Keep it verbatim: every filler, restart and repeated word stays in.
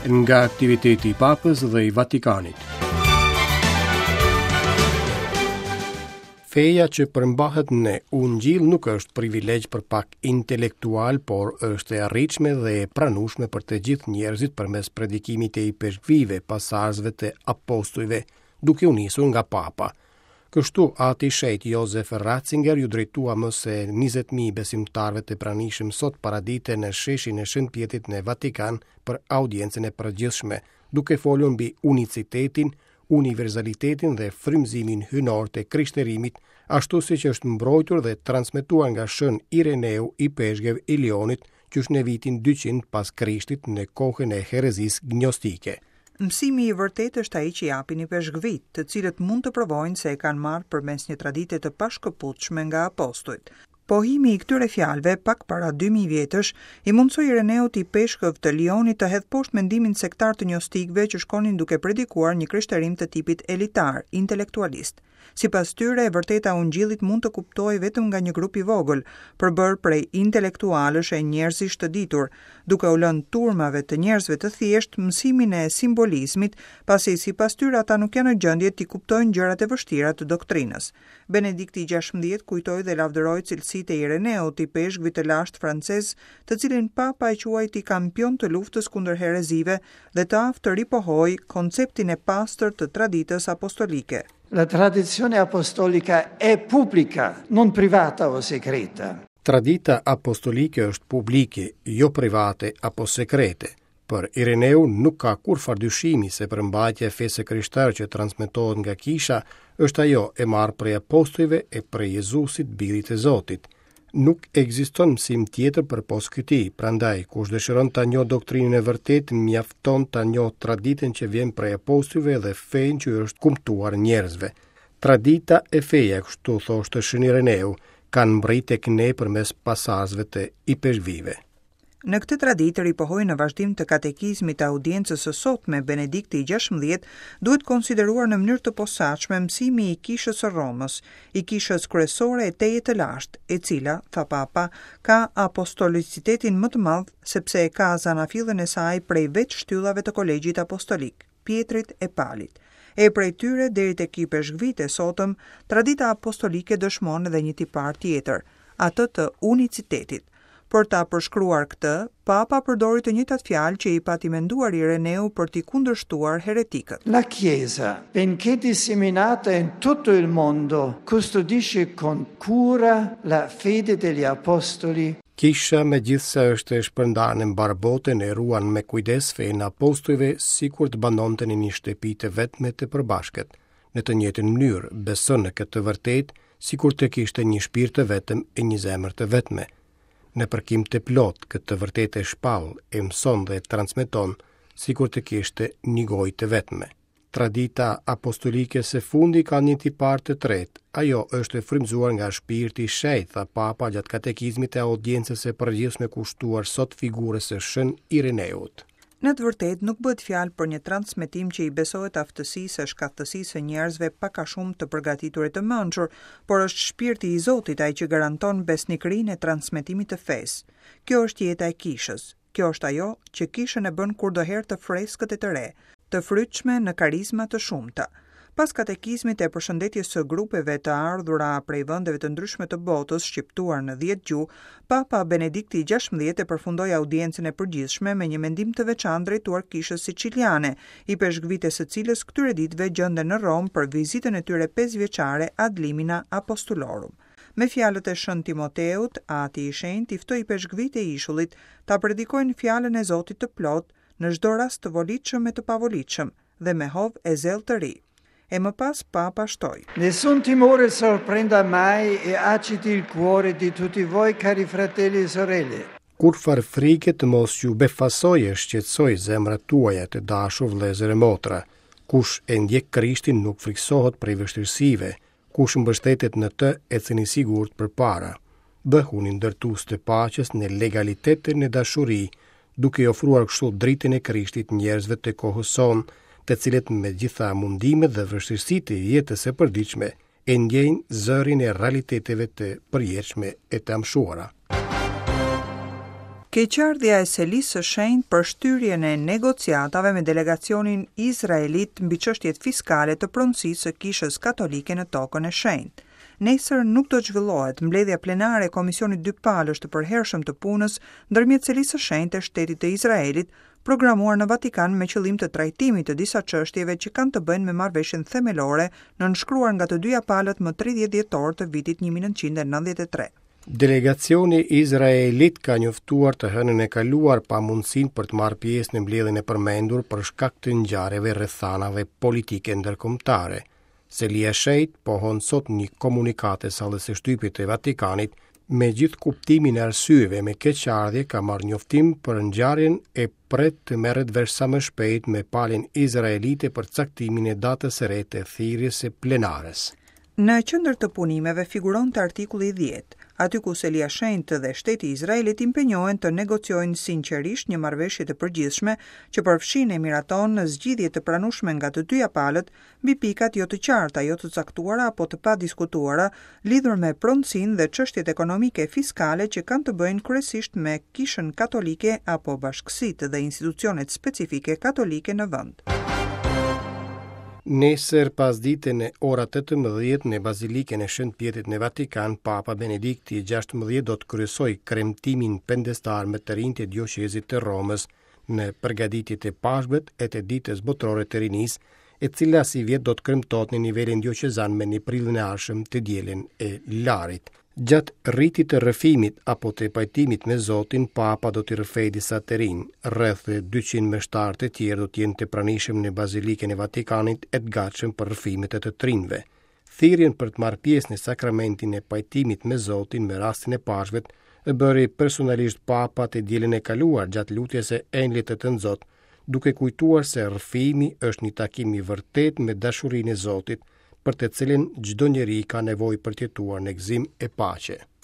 Nga aktiviteti i Papës dhe i Vatikanit. Feja që përmbahet në Ungjill nuk është privilegj për pak intelektual, por është e arritshme dhe e pranueshme për të gjithë njerëzit përmes predikimit të ipeshkvijve, pasardhësve të apostujve, duke u nisur nga Papa. Kështu, Ati i Shenjtë Josef Ratzinger iu drejtua më se njëzet mijë besimtarëve të pranishëm sot paradite në sheshin e Shën Pjetrit në Vatikan për audiencën e përgjithshme, duke folur mbi unicitetin, universalitetin dhe frymëzimin hyjnor të krishterimit, ashtu siç është mbrojtur dhe transmetuar nga Shën Ireneu ipeshkëv i Lionit, qysh në vitin dyqind pas Krishtit në kohën e herezisë gnostike. Mësimi i vërtetë është ai që japin ipeshkvijtë, të cilët mund të provojnë se e kanë marrë përmes një tradite të pashkëputshme nga apostujt. Pohimi i këtyre fjalëve pak para dy mijë vjetësh i mundësoi Ireneut ipeshkëv të Lionit të hedhë poshtë mendimin sektar të gnostikëve që shkonin duke predikuar një krishterim të tipit elitar, intelektualist. Sipas tyre, e vërteta e Ungjillit mund të kuptohej vetëm nga një grup i vogël, përbërë prej intelektualësh e njerëzish të ditur, duke u lënë turmave të njerëzve të thjeshtë mësimin e simbolizmit, pasi sipas tyre ata nuk janë në gjendje t'i kuptojnë gjërat e vështira të doktrinës. Benedikti i gjashtëmbëdhjetë kujtoi dhe lavdëroi cilësitë e Ireneut, ipeshkvit të lashtë francez, të cilin Papa e quajti kampion të luftës kundër herezive dhe të aftë të ripohojë konceptin e pastër të traditës apostolike. La tradizione apostolica è pubblica, non privata o segreta. Tradita apostolike është publike, jo private apo sekrete. Për Ireneu nuk ka kurrfarë dyshimi se përmbajtja e fesë krishterë që transmetohet nga kisha është ajo e marrë prej apostujve e prej Jezusit, birit e Zotit. Nuk ekziston mësim tjetër përpos këtij, prandaj kush dëshiron ta njohë doktrinën e vërtetë, mjafton ta njohë traditën që vjen prej apostujve dhe fenë që u është kumtuar njerëzve. Tradita e feja, kështu thoshte Shën Ireneu, kanë mbërritur tek ne përmes pasardhësve të ipeshkvijve. Në këtë traditë ripohoi në vazhdim të katekizmit të audiencës së sotme Benedikti i gjashtëmbëdhjetë, duhet konsideruar në mënyrë të posaçme mësimi i Kishës së Romës, i kishës kryesore e tejet të lashtë, e cila, tha Papa, ka apostolicitetin më të madh sepse e ka zanafillën e saj prej vetë shtyllave të kolegjit apostolik, Pietrit e Palit. E prej tyre deri tek ipeshkvijtë e sotëm, tradita apostolike dëshmon edhe një tipar tjetër, atë të unicitetit. Për ta përshkruar këtë, Papa përdori të njëjtat fjalë që i pati menduar Ireneu për t'i kundërshtuar heretikët. La Chiesa, benché disseminata in tutto il mondo, custodisce con cura la fede degli apostoli. Kisha, megjithëse është e shpërndarë në mbarë botën, e ruan me kujdes fenë e apostujve sikur të banonte në një shtëpi të vetme të përbashkët. Në të njëjtën mënyrë, beson në këtë të vërtetë sikur të kishte një shpirt të vetëm e një zemër të vetme. Në përkim të plot, këtë të vërtetë e shpall, e mëson dhe e transmeton, sikur të kishte një gojë të vetme. Tradita apostolike së fundi ka një tipar të tretë. Ajo është e frymëzuar nga shpirti i shenjtë, tha Papa gjatë katekizmit të audiencës së përgjithshme kushtuar sot figurës së Shën Ireneut. Në të vërtetë nuk bëhet fjalë për një transmetim që i besohet aftësisë e shkathtësisë së njerëzve pak a shumë të përgatitur e të mençur, por është shpirti i Zotit ai që garanton besnikërinë e transmetimit të fesë. Kjo është jeta e kishës. Kjo është ajo që kishën e bën kurdoherë të freskët e të re, të frytshme në karizma të shumta. Pas katekizmit e përshëndetjes së grupeve të ardhura prej vendeve të ndryshme të botës, shqiptuar në dhjetë gjuhë, Papa Benedikti i gjashtëmbëdhjetë e përfundoi audiencën e përgjithshme me një mendim të veçantë drejtuar kishës siciliane, ipeshkvijtë e së cilës këtyre ditëve gjenden në Romë për vizitën e tyre pesëvjeçare ad limina apostolorum. Me fjalët e Shën Timoteut, Ati i Shenjtë i ftoi ipeshkvijtë e ishullit ta predikojnë fjalën e Zotit të plot në çdo rast të volitshëm e të pavolitshëm dhe me hov e zell të ri. E më pas Papa shtoi: Nessun timore sorprenda mai e agiti il cuore di tutti voi, cari fratelli e sorelle. Kurrfarë frike të mos ju befasojë e shqetësojë zemrat tuaja të dashur vëllezër e motra. Kush e ndjek Krishtin nuk friksohet prej vështirësive, kush mbështetet në të ecën i sigurt përpara. Bëhuni ndërtues të paqes në legalitet e në dashuri, duke i ofruar kështu dritën e Krishtit njerëzve të kohës sonë, të cilët me gjitha mundimet dhe vështirësitë e jetës së përditshme e ndjejnë zërin e realiteteve të përjetshme e të amshuara. Keqardhja e Selisë së Shenjtë për shtyrjen e negociatave me delegacionin izraelit mbi çështjet fiskale të pronësisë së Kishës Katolike në Tokën e Shenjtë. Nesër nuk do të zhvillohet mbledhja plenare e Komisionit Dypalësh të Përhershëm të Punës ndërmjet Selisë së Shenjtë e Shtetit të Izraelit, programuar në Vatikan me qëllim të trajtimit të disa çështjeve që kanë të bëjnë me marrëveshjen themelore nënshkruar nga të dyja palët më tridhjetë dhjetor të vitit një mijë e nëntëqind e nëntëdhjetë e tre. Delegacioni izraelit ka njoftuar të hënën e kaluar pamundësinë për të marrë pjesë në mbledhjen e përmendur për shkak të ngjarjeve rrethanave politike ndërkombëtare. Selia e Shenjtë pohon sot një komunikatë e sallës së shtypit të Vatikanit, me gjithë kuptimin e arsyeve me keqardhje ka marrë njoftim për ngjarjen e pret të merret vesh sa më shpejt me palën izraelite për caktimin e datës së re të thirrjes së plenares. Në qendër të punimeve figuronte artikulli dhjetë, aty ku Selia Shenjtë dhe shteti i Izraelit impenjohen të negociojnë sinqerisht një marrëveshje të përgjithshme që përfshin e miraton zgjidhje të pranueshme nga të dyja palët mbi pikat jo të qarta, jo të caktuara apo të padiskutuara lidhur me pronësinë dhe çështjet ekonomike e fiskale që kanë të bëjnë kryesisht me Kishën Katolike apo bashkësitë dhe institucionet specifike katolike në vend. Nesër pasdite në ora tetëmbëdhjetë në Bazilikën e Shën Pjetrit në Vatikan, Papa Benedikti i gjashtëmbëdhjetë do të kryesojë kremtimin pendestar me të rinjtë e dioqezit të Romës në përgatitje të Pashkëve e të Ditës Botërore të Rinisë, e cila si vjet do të kremtohet në nivelin dioqezan me një prillin e ardhshëm të dielën e Larit. Gjatë rritit të rrëfimit apo të pajtimit me Zotin, Papa do t'i rrëfejë disa të rinj. Rreth dyqind meshtarë të tjerë do të jenë të pranishëm në Bazilikën e Vatikanit e të gatshëm për rrëfimet e të të rinjve. Thirrjen për të marrë pjesë në sakramentin e pajtimit me Zotin me rastin e Pashkëve e bëri personalisht Papa të dielën e kaluar gjatë lutjes së Engjëllit të Tënzot, duke kujtuar se rrëfimi është një takim i vërtet me dashurinë e Zotit, për të cilin çdo njeri ka nevojë për të jetuar në gëzim e paqe.